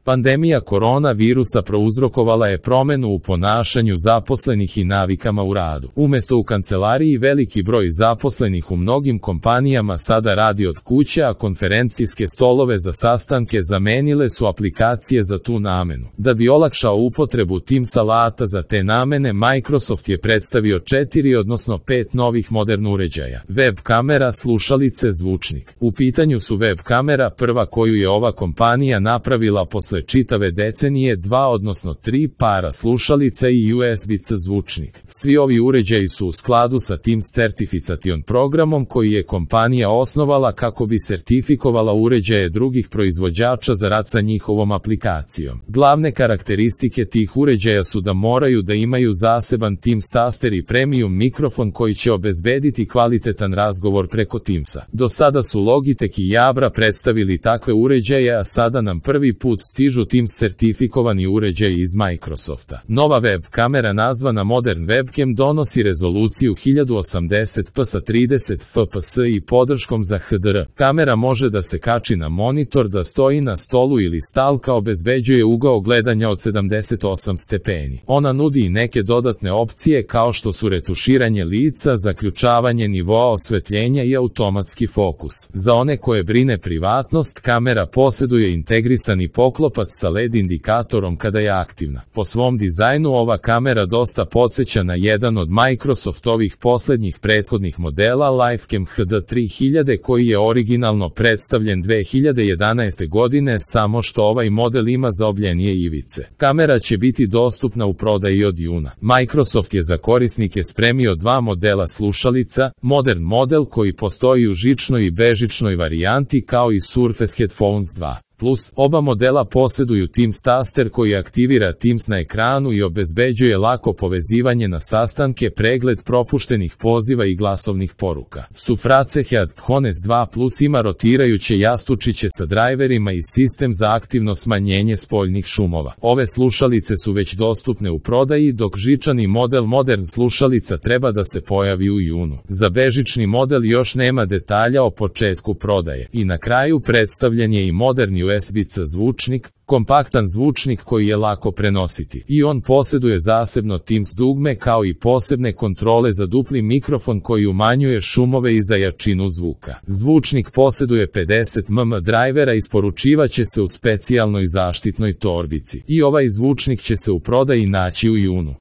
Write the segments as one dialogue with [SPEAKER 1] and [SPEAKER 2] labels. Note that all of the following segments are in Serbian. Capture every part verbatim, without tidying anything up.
[SPEAKER 1] Pandemija koronavirusa prouzrokovala je promenu u ponašanju zaposlenih i navikama u radu. Umesto u kancelariji, veliki broj zaposlenih u mnogim kompanijama sada radi od kuće, a konferencijske stolove za sastanke zamenile su aplikacije za tu namenu. Da bi olakšao upotrebu Teams alata za te namene, Microsoft je predstavio četiri, odnosno pet novih modernih uređaja. Web kamera, slušalice, zvučnik. U pitanju su web kamera, prva koju je ova kompanija napravila posle čitave decenije, dva odnosno tri para slušalica i U S B-C zvučnik. Svi ovi uređaji su u skladu sa Teams Certification programom koji je kompanija osnovala kako bi sertifikovala uređaje drugih proizvođača za rad sa njihovom aplikacijom. Glavne karakteristike tih uređaja su da moraju da imaju zaseban Teams taster i premium mikrofon koji će obezbediti kvalitetan razgovor preko Teamsa. Do sada su Logitech i Jabra predstavili takve uređaje, a sada nam prvi put stižu Teams sertifikovani uređaj iz Microsofta. Nova web kamera nazvana Modern Webcam donosi rezoluciju hiljadu osamdeset p sa trideset F P S i podrškom za H D R. Kamera može da se kači na monitor, da stoji na stolu ili stalka, obezbeđuje ugao gledanja od sedamdeset osam stepeni. Ona nudi i neke dodatne opcije kao što su retuširanje lica, zaključavanje nivoa osvetljenja i automatski fokus. Za one koje brine privatnost, kamera posjeduje integrisani poklopac sa L E D indikatorom kada je aktivna. Po svom dizajnu ova kamera dosta podsjeća na jedan od Microsoftovih poslednjih prethodnih modela Livecam H D tri hiljade koji je originalno predstavljen dve hiljade jedanaeste godine, samo što ovaj model ima zaobljenije ivice. Kamera će biti dostupna u prodaji od juna. Microsoft je za korisnike spremio dva modela slušalica, Modern model koji postoji u žičnoj i bežičnoj varijanti kao i Surface Headphones dva. Plus, oba modela posjeduju Teams taster koji aktivira Teams na ekranu i obezbeđuje lako povezivanje na sastanke, pregled propuštenih poziva i glasovnih poruka. Surface Headphones dva Plus ima rotirajuće jastučiće sa drajverima i sistem za aktivno smanjenje spoljnih šumova. Ove slušalice su već dostupne u prodaji, dok žičani model Modern slušalica treba da se pojavi u junu. Za bežični model još nema detalja o početku prodaje. I na kraju predstavljen je i moderni U S B-C zvučnik, kompaktan zvučnik koji je lako prenositi. I on posjeduje zasebno Teams dugme kao i posebne kontrole za dupli mikrofon koji umanjuje šumove i za jačinu zvuka. Zvučnik posjeduje pedeset milimetra drajvera, isporučivaće se u specijalnoj zaštitnoj torbici. I ovaj zvučnik će se u prodaji naći u junu.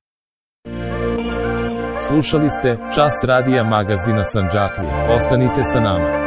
[SPEAKER 1] Slušali ste Čas radija magazina Sandžaklija. Ostanite sa nama.